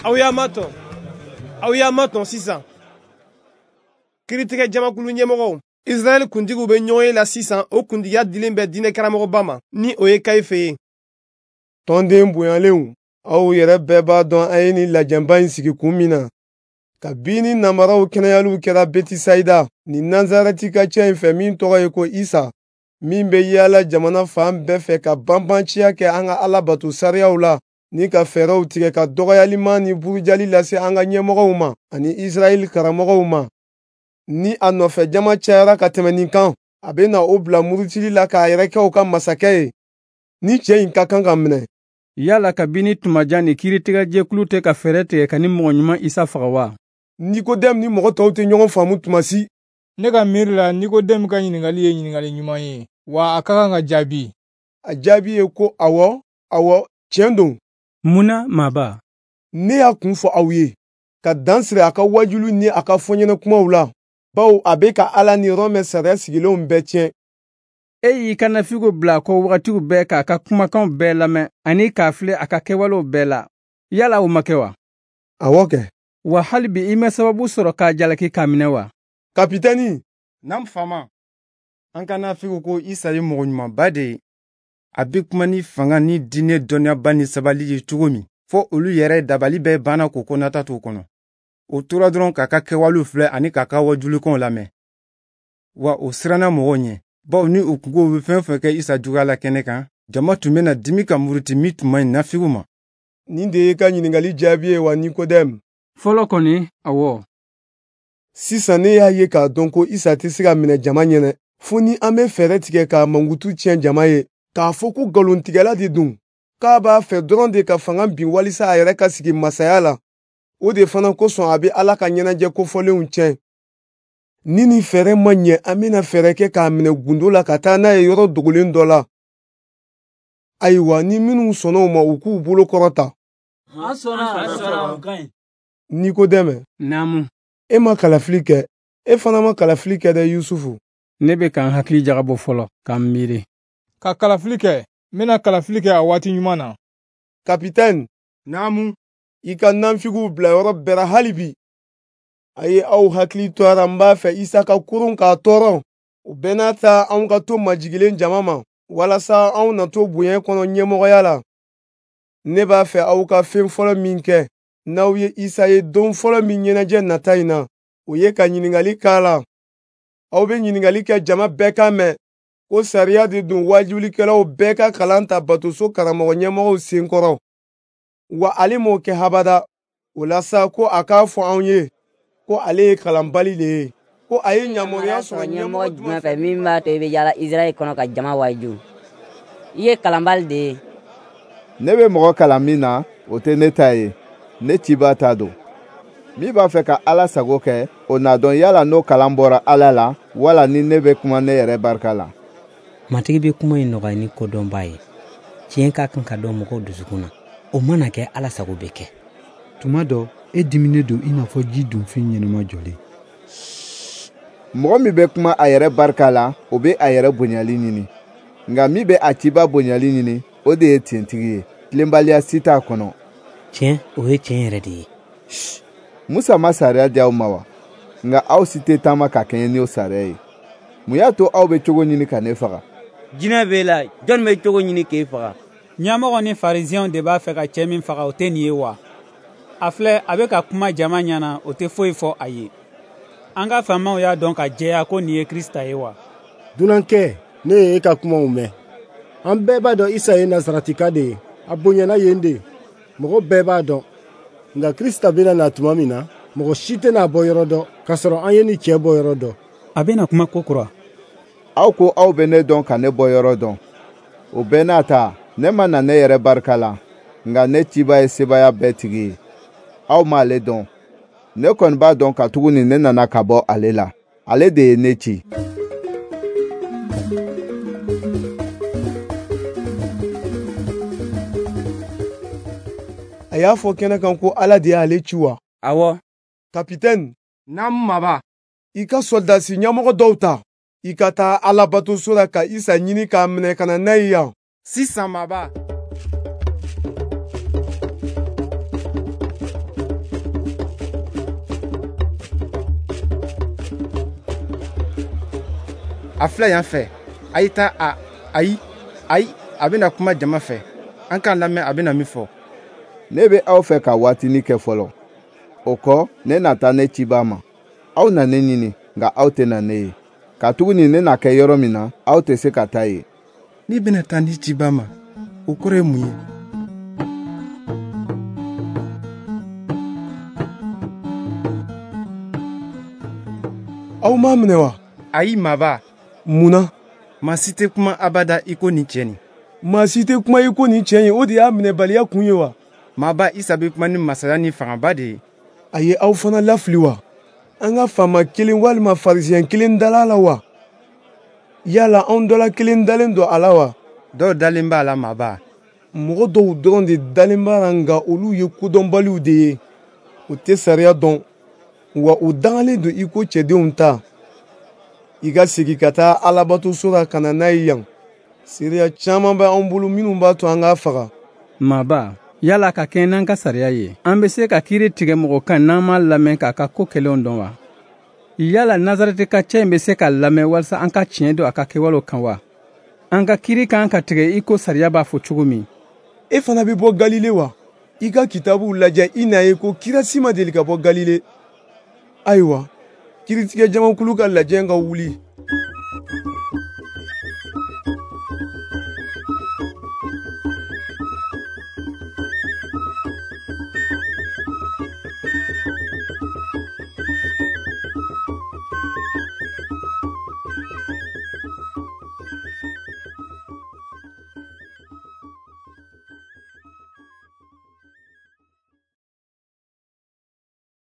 Aw y'a matɔn, aw y'a matɔn sisan. Kiritigɛ jamakulu ɲɛmɔgɔw, Israɛl kuntigiw bɛ ɲɔgɔn ye la sisan, o kuntigiya dilen bɛ diinɛ karamɔgɔba ma, ni o ye Kayife ye. Tɔnden bonyalenw, aw yɛrɛ bɛɛ b'a dɔn an ye nin lajɛba in sigi kun min na. Kabini namaraw kɛnɛyaliw kɛra Betisayida ni Nazarɛti ka cɛ in fɛ min tɔgɔ ye ko Isa, min bɛ yaala jamana fan bɛɛ fɛ ka banbanciya kɛ an ka Ala bato sariyaw la, ni ka fɛɛrɛw tigɛ ka dɔgɔyalima ni burujali lase an ka ɲɛmɔgɔw ma ani Israɛl karamɔgɔw ma. Ni a nɔfɛ jama cayara ka tɛmɛ nin kan, a bɛ na o bila murutili la k'a yɛrɛ kɛ u ka masakɛ ye. Ni cɛ in ka kan ka minɛ. Yala kabini tuma jan ni kiiritigɛjɛkulu tɛ ka fɛɛrɛ tigɛ ka ni mɔgɔ ɲuman Isa faga wa? Nikodɛmu ni mɔgɔ tɔw tɛ ɲɔgɔn faamu tuma si. Ne ka miiri la, Nikodɛmu ka ɲininkali ye ɲininkali ɲuman ye, wa a ka kan ka jaabi. A jaabi ye ko awɔ, awɔ, tiɲɛ don. Mun na, maaba? Ne y'a kun fɔ aw ye, ka dan siri a ka wajulu ni a ka fɔɲɛnɛ kumaw la, bawo a bɛ ka Ala ni Rɔmɛ sariya sigilenw bɛɛ tiɲɛ. E y'i ka nafigiw bila a kɔ wagatiw bɛɛ k'a ka kumakanw bɛɛ lamɛn ani k'a filɛ a ka kɛwalew bɛɛ la. Yala o ma kɛ wa? Awɔ kɛ. Wa hali bi i ma sababu sɔrɔ k'a jalaki k'a minɛ wa? Kapitɛni. Naamu faama. An ka nafigiw ko Isa ye mɔgɔ ɲumanba de ye. A bɛ kuma ni fanga ni diinɛ dɔnniyaba ni sabali ye cogo min, fɔ olu yɛrɛ dabali bɛɛ banna k'o kɔnɔta t'o kɔnɔ. O tora dɔrɔn k'a ka kɛwalew filɛ ani k'a ka wajulikanw lamɛn. Wa o siranna mɔgɔw ɲɛ, bawo ni u kungo bɛ fɛn fɛn kɛ Isa juguya la kɛnɛ kan, jama tun bɛna dimi ka muruti min tun man ɲi nafigiw ma. Nin de ye ka ɲininkali jaabi ye wa, Nikodɛmu? Fɔlɔ kɔni, awɔ. Sisan ne y'a ye k'a dɔn ko Isa tɛ se ka minɛ jama ɲɛnɛ, fo ni an bɛ fɛɛrɛ tigɛ k'a mankutu tiɲɛ jama ye, k'a fɔ ko nkalontigɛla de don, k'a b'a fɛ dɔrɔn de ka fanga bin walisa a yɛrɛ ka sigi masaya la. O de fana kosɔn a bɛ Ala ka ɲɛnajɛ kofɔlenw tiɲɛ. Ni nin fɛɛrɛ ma ɲɛ, an bɛna fɛɛrɛ kɛ k'a minɛ gundo la ka taa n'a ye yɔrɔ dogolen dɔ la. Ayiwa, ni minnu sɔnna o ma, u k'u bolo kɔrɔta. An sɔnna. Nikodɛmɛ. Naamu. E ma kalafili kɛ. E fana ma kalafili kɛ dɛ, Yusufu. Ne bɛ ka n hakili jagabɔ fɔlɔ, ka n miiri. Ka kalafili kɛ, n bɛna kalafili kɛ a waati ɲuman na. Kapitɛni. Naamu. I ka nanfigiw bila yɔrɔ bɛɛ la hali bi. A ye aw hakili to a la, n b'a fɛ Isa ka kurun k'a tɔɔrɔ. O bɛɛ n'a ta, anw ka to majigilen jama ma, walasa anw na to bonya kɔnɔ ɲɛmɔgɔya la. Ne b'a fɛ aw ka fɛn fɔlɔ min kɛ, n'aw ye Isa ye don fɔlɔ min ɲɛnajɛ nata in na, o ye ka ɲininkali k'a la. Aw bɛ ɲininkali kɛ jama bɛɛ kan mɛn ko sariya de don wajulikɛlaw bɛɛ ka kalan ta batoso karamɔgɔ ɲɛmɔgɔw sen kɔrɔ. Wa ale m'o kɛ habada. O la sa, ko a k'a fɔ anw ye ko ale ye kalanbali de ye, ko a ye yamaruya sɔrɔ ɲɛmɔgɔ jumɛn fɛ min b'a to i bɛ yaala Israɛl kɔnɔ ka jama waju? I ye kalanbali de ye. Ne bɛ mɔgɔ kalan min na, o tɛ ne ta ye, ne cibaa ta don. Min b'a fɛ ka Ala sago kɛ, o n'a dɔn yala n'o kalan bɔra Ala la, wala ni ne bɛ kuma ne yɛrɛ barika la. Matigi bɛ kuma in nɔgɔya ni kodɔnba ye. Tiɲɛ ka kan ka dɔn mɔgɔw dusukun na. O mana kɛ, Ala sago bɛ kɛ. Tuma dɔ, e diminen don i n'a fɔ ji dunfin ɲɛnama jɔlen. Mɔgɔ min bɛ kuma a yɛrɛ barika la, o bɛ a yɛrɛ bonyali ɲini. Nka min bɛ a ciba bonyali ɲini, o de ye tiɲɛtigi ye. Tilenbaliya si t'a kɔnɔ. Tiɲɛ, o ye tiɲɛ yɛrɛ de ye. Musa ma sariya di aw ma wa? Nka aw si tɛ taama ka kɛɲɛ n'o sariya ye. Mun y'a to aw bɛ cogo ɲini ka ne faga? Jinɛ b'e la, jɔnni bɛ cogo ɲini k'e faga? Ɲɛmɔgɔ ni farisiyɛnw de b'a fɛ ka cɛ min faga, o tɛ nin ye wa? A filɛ, a bɛ ka kuma jama ɲɛna, o tɛ foyi fɔ a ye. An ka faamaw y'a dɔn ka jɛya ko nin ye Krisita ye wa? Dunankɛ, ne ye e ka kumaw mɛn. An bɛɛ b'a dɔn Isa ye Nazaratika de ye. A bonyana yen de. Mɔgɔ bɛɛ b'a dɔn. Nka Krisita bɛna na tuma min na, mɔgɔ si tɛna bɔ yɔrɔ dɔn, k'a sɔrɔ an ye nin cɛ bɔ yɔrɔ dɔn. A bɛna kuma ko kura. Aw ko aw bɛ ne dɔn ka ne bɔ yɔrɔ dɔn. O bɛɛ n'a ta, ne ma na ne yɛrɛ barika la, nka ne ciba ye sebaaya bɛɛ tigi ye. Aw m'ale dɔn. Ne kɔni b'a dɔn katuguni ne nana ka bɔ ale la. Ale de ye ne ci. A y'a fɔ kɛnɛ kan ko Ala de y'ale ci wa? Awɔ. Kapitɛni. Naamu maba. I ka sɔrɔdasi ɲɛmɔgɔ dɔw ta. I ka taa Alabatoso la ka Isa ɲini k'a minɛ ka na n'a ye yan. Sisan maba. A filɛ yan fɛ, a ye taa a, ayi, ayi, a bɛna kuma jama fɛ. An k'a lamɛn a bɛna min fɔ. Ne bɛ aw fɛ ka waatinin kɛ fɔlɔ. O kɔ, ne na taa ne cibaa ma. Aw na ne ɲini, nka aw tɛna ne ye. Katuguni ne na kɛ yɔrɔ min na, aw tɛ se ka taa yen. Ne bɛna taa ne cibaa ma, o kɔrɔ ye mun ye? Aw m'a minɛ wa? Ayi, maaba. Mun na? Maa si tɛ kuma abada i ko nin cɛ nin. Maa si tɛ kuma i ko nin cɛ in, o de y'a minɛbaliya kun ye wa? Maaba, Isa bɛ kuma ni masaya ni fangaba de ye. A ye aw fana lafili wa? An ka faama kelen walima farisiyɛn kelen dala a la wa? Yala anw dɔ la kelen dalen don a la wa? Dɔw dalen b'a la, maaba. Mɔgɔ dɔw dɔrɔn de dalen b'a la, nka olu ye kodɔnbaliw de ye. U tɛ sariya dɔn, wa u dangalen don i ko cɛdenw ta. I ka segin ka taa Alabatoso la ka na n'a ye yan. Seereya caman bɛ anw bolo minnu b'a to an k'a faga. Maaba, yala ka kɛɲɛ n'an ka sariya ye, an bɛ se ka kiiri tigɛ mɔgɔ kan n'an m'a lamɛn k'a ka ko kɛlenw dɔn wa? Yala Nazarɛtika cɛ in bɛ se ka lamɛn walasa an ka tiɲɛ don a ka kɛwalew kan wa? An ka kiiri kan ka tigɛ i ko sariya b'a fɔ cogo min. E fana bɛ bɔ Galile wa? I ka kitabuw lajɛ, i n'a ye ko kira si ma deli ka bɔ Galile. Ayiwa, kiiritigɛ jamakulu ka lajɛ ka wuli.